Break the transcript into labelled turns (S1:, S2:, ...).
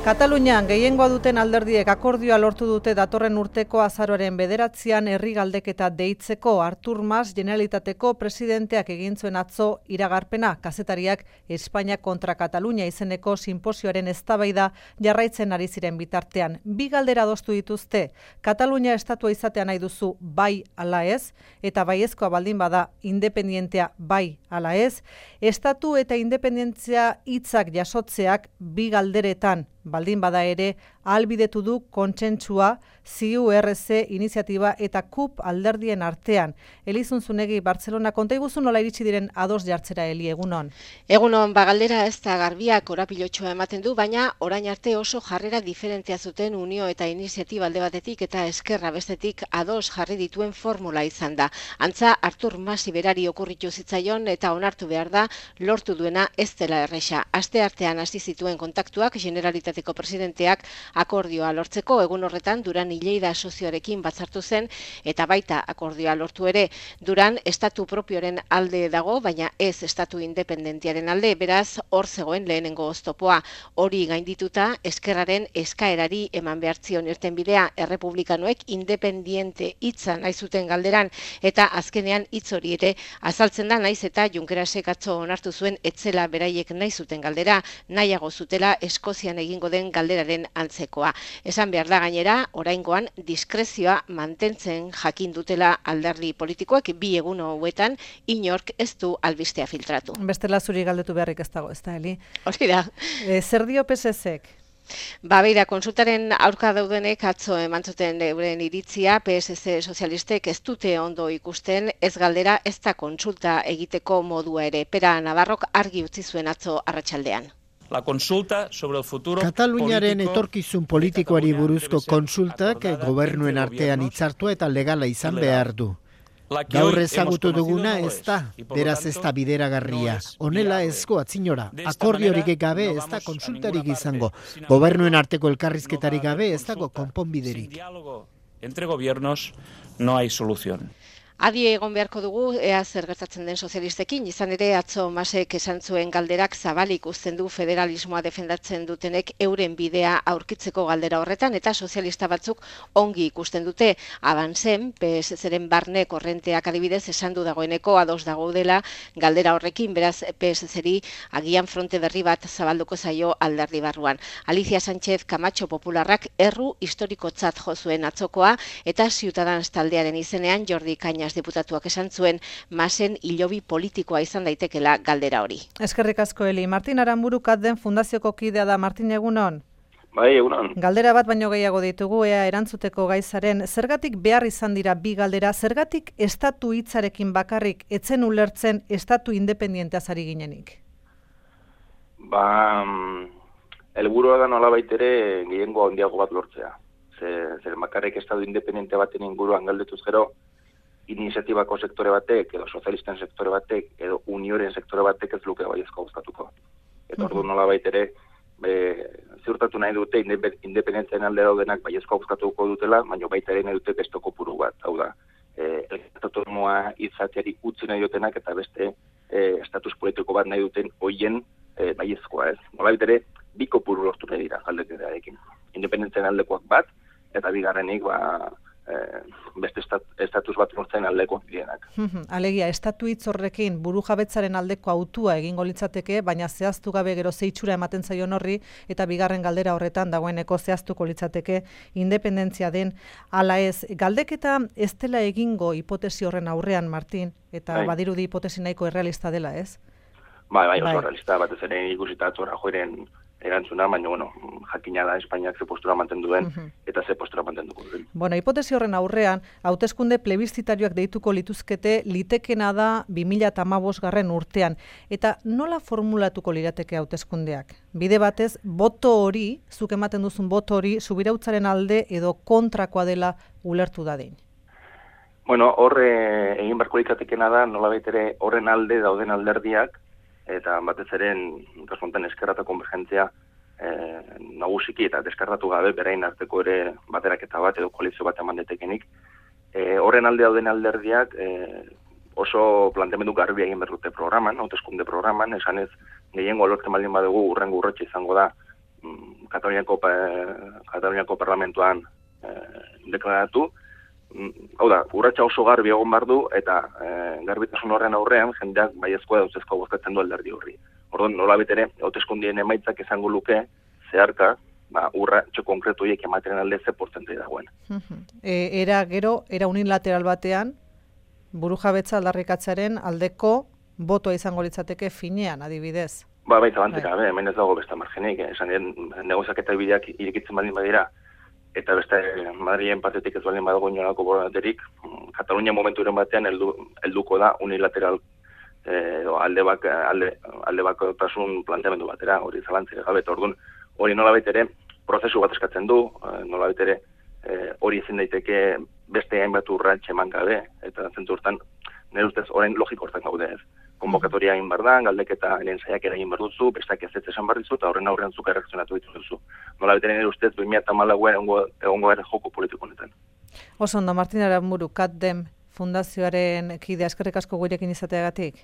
S1: Katalunian gehiengoa duten alderdiek akordioa lortu dute datorren urteko azaroaren 9an herri galdeketa deitzeko. Artur Mas Generalitateko presidenteak egin zuen atzo iragarpena. Kazetariak Espainia kontra Katalunia izeneko sinposioaren eztabaida jarraitzen ari ziren bitartean. Bi galdera adostu dituzte. Katalunia estatua izatea nahi duzu bai ala ez, eta baiezkoa baldin bada independientea bai ala ez. Estatu eta independentzia hitzak jasotzeak bi galderetan baldin bada ere, ahalbidetu du kontsentsua CiURC iniziatiba eta KUP alderdien artean. Elizun Zunegi, Bartzelona, konta iguzu nola iritsi diren ados jartzera, Eli, egunon?
S2: Egunon, galdera ez da garbiak korapilotxoa ematen du, baina orain arte oso jarrera diferentea zuten Unio eta iniziatiba alde batetik eta Eskerra bestetik ados jarri dituen formula izan da. Antza, Artur Mas berari okurritu zitzaion eta onartu behar da lortu duena ez dela erresa. Aste artean hasi zituen kontaktuak Generalitateko presidenteak akordioa lortzeko, egun horretan Duran Lleida sozioarekin batzartu zen eta baita akordioa lortu ere. Duran estatu propioren alde dago, baina ez estatu independentiaren alde, beraz hor zegoen lehenengo oztopoa. Hori gaindituta Eskerraren eskaerari eman behartzion irtenbidea, errepublikanoek independiente hitza nahi zuten galderan, eta azkenean hitz hori ere azaltzen da, naiz eta Junkerasek atzo onartu zuen etzela beraiek nahi zuten galdera, nahiago zutela Eskozian egingo den galderaren antzekoa. Esan behar da gainera, oraingoan diskrezioa mantentzen jakin dutela alderdi politikoak bi egun hauetan inork ez du albistea filtratu.
S1: Bestela zuri galdetu beharrik ez dago, ez da, Eli?
S2: Hori da.
S1: Zer dio PSZ-ek?
S2: Beira, konsultaren aurka daudenek atzo eman zuten euren iritzia, PSC sozialistek ez dute ondo ikusten, ez galdera ez da kontsulta egiteko modua ere. Pera Navarrok argi utzi zuen atzo arratsaldean.
S3: La consulta sobre el futuro
S4: Kataluniaren etorkizun politikoari buruzko konsultak gobernuen artean hitzartua eta legala izan behar du. Gaur ezagutu duguna ez da, beraz ez da bideragarria. Honela ezko atzinora, akordiorik gabe ez da konsultarik izango. Gobernuen arteko elkarrizketarik gabe ez dago konponbiderik.
S3: Entre gobiernos no hay solución.
S2: Adi egon beharko dugu, ea zer gertatzen den sozialistekin, izan ere atzo Masek esan zuen galderak zabalik uzten du federalismoa defendatzen dutenek euren bidea aurkitzeko galdera horretan, eta sozialista batzuk ongi ikusten dute. Avanzen, PSZ-ren barne korrenteak adibidez esan du dagoeneko ados dagoudela galdera horrekin, beraz PSZ-ri agian fronte berri bat zabalduko zaio alderdi barruan. Alicia Sánchez Camacho Popularrak erru historikotzat jo zuen atzokoa, eta Ciudadanos taldearen izenean Jordi Cañas diputatuak esan zuen Masen hilobi politikoa izan daitekela galdera hori.
S1: Eskerrik asko, Eli. Martin Aramburu Katden fundazioko kidea da. Martin, egunon?
S5: Bai, egunon.
S1: Galdera bat baino gehiago ditugu, ea erantzuteko gaizaren. Zergatik behar izan dira bi galdera? Zergatik estatu hitzarekin bakarrik etzen ulertzen estatu independienteaz ari ginenik?
S5: Helburua da nolabait ere gehiengo handiago bat lortzea. Zer bakarrik estatu independiente baten inguruan galdetuz gero, iniziatibako sektore batek, edo sozialisten sektore batek, edo unioren sektore batek ez luke baiezko gustatuko. Eta ordu nolabait ere, ziurtatu nahi dute independentzian alde daudenak baiezko gustatuko dutela, baina baita ere nahi dute beste kopuru bat. Hau da, autonomoa izateari utzi nahi dutenak eta beste estatus politiko bat nahi duten hoien baiezkoa ez. Nolabait ere, bi kopuru lortu nahi dira aldeketarekin. Independentzian aldekoak bat, eta bigarrenik beste estatus bat lortzen aldekoak direnak.
S1: Alegia, estatu hitz horrekin burujabetzaren aldeko autua egingo litzateke, baina zehaztu gabe gero ze itxura ematen zaion horri, eta bigarren galdera horretan dagoeneko zehaztuko litzateke independentzia den ala ez. Galdeketa ez dela egingo hipotesi horren aurrean, Martin, eta badirudi hipotesi nahiko errealista dela, ez?
S5: Bai, oso realista, batez ere ikusita atzora joeren erantzuna, baina, jakina da Espainiak ze postura mantendu duen, eta ze postura mantenduko duen.
S1: Hipotesi horren aurrean, hauteskunde plebiszitarioak deituko lituzkete, litekena da 2015 urtean. Eta nola formulatuko lirateke hauteskundeak? Bide batez, boto hori, zuk ematen duzun boto hori, subirautzaren alde edo kontrakoa dela ulertu dadin?
S5: Horre egin barko litzatekena da, nolabait ere horren alde dauden alderdiak, eta batez ere, kasu honetan Eskerra eta Konvergentzia nagusiki eta deskartatu gabe berain arteko ere bateraketa bat edo koalizio bat eman detekenik. Horren alde dauden alderdiak oso planteamendu garbi egin behar dute programan, hauteskunde programan, esanez gehiengo lortzen baldin badugu urrengo urratsa izango da Kataluniako parlamentuan deklaratu. Hau da, urratsa oso garbi egon behar du, eta garbitasun horren aurrean, jendeak baiezkoa dauzezkoa bozkatzen du alderdi horri. Orduan, nola betere, hauteskundien emaitzak izango luke, zeharka, urratxo konkretu hiek ematen alde ze portzentai dagoen.
S1: Era unilateral batean, burujabetza aldarrikatzearen aldeko botoa izango litzateke finean, adibidez.
S5: Baita banteka, hemen ez dago beste margenik, esan negoziaketa bideak irekitzen baldin badira, eta beste Madrilen partetik ez baldin badago inolako borondaterik, Katalunia momenturen batean helduko da unilateral alde bakotasun planteamendu batera, hori zalantzik gabe, orduan hori nolabait ere prozesu bat eskatzen du, nolabait ere hori ezin daiteke beste hainbat urrats eman gabe, eta zentzu hortan nire ustez orain logiko hortan gaude ez. Konbokatoria egin behar da, galdeketa saiak egin behar duzu, bestak ez esan behar dizu, eta horren aurrean zuk erreakzionatu dituzu. Nolabait ere nire ustez 2014 egongo gara joko politiko honetan.
S1: Oso ondo, Martin Aranburu, CATDEM fundazioaren kidea, eskerrik asko gurekin izateagatik.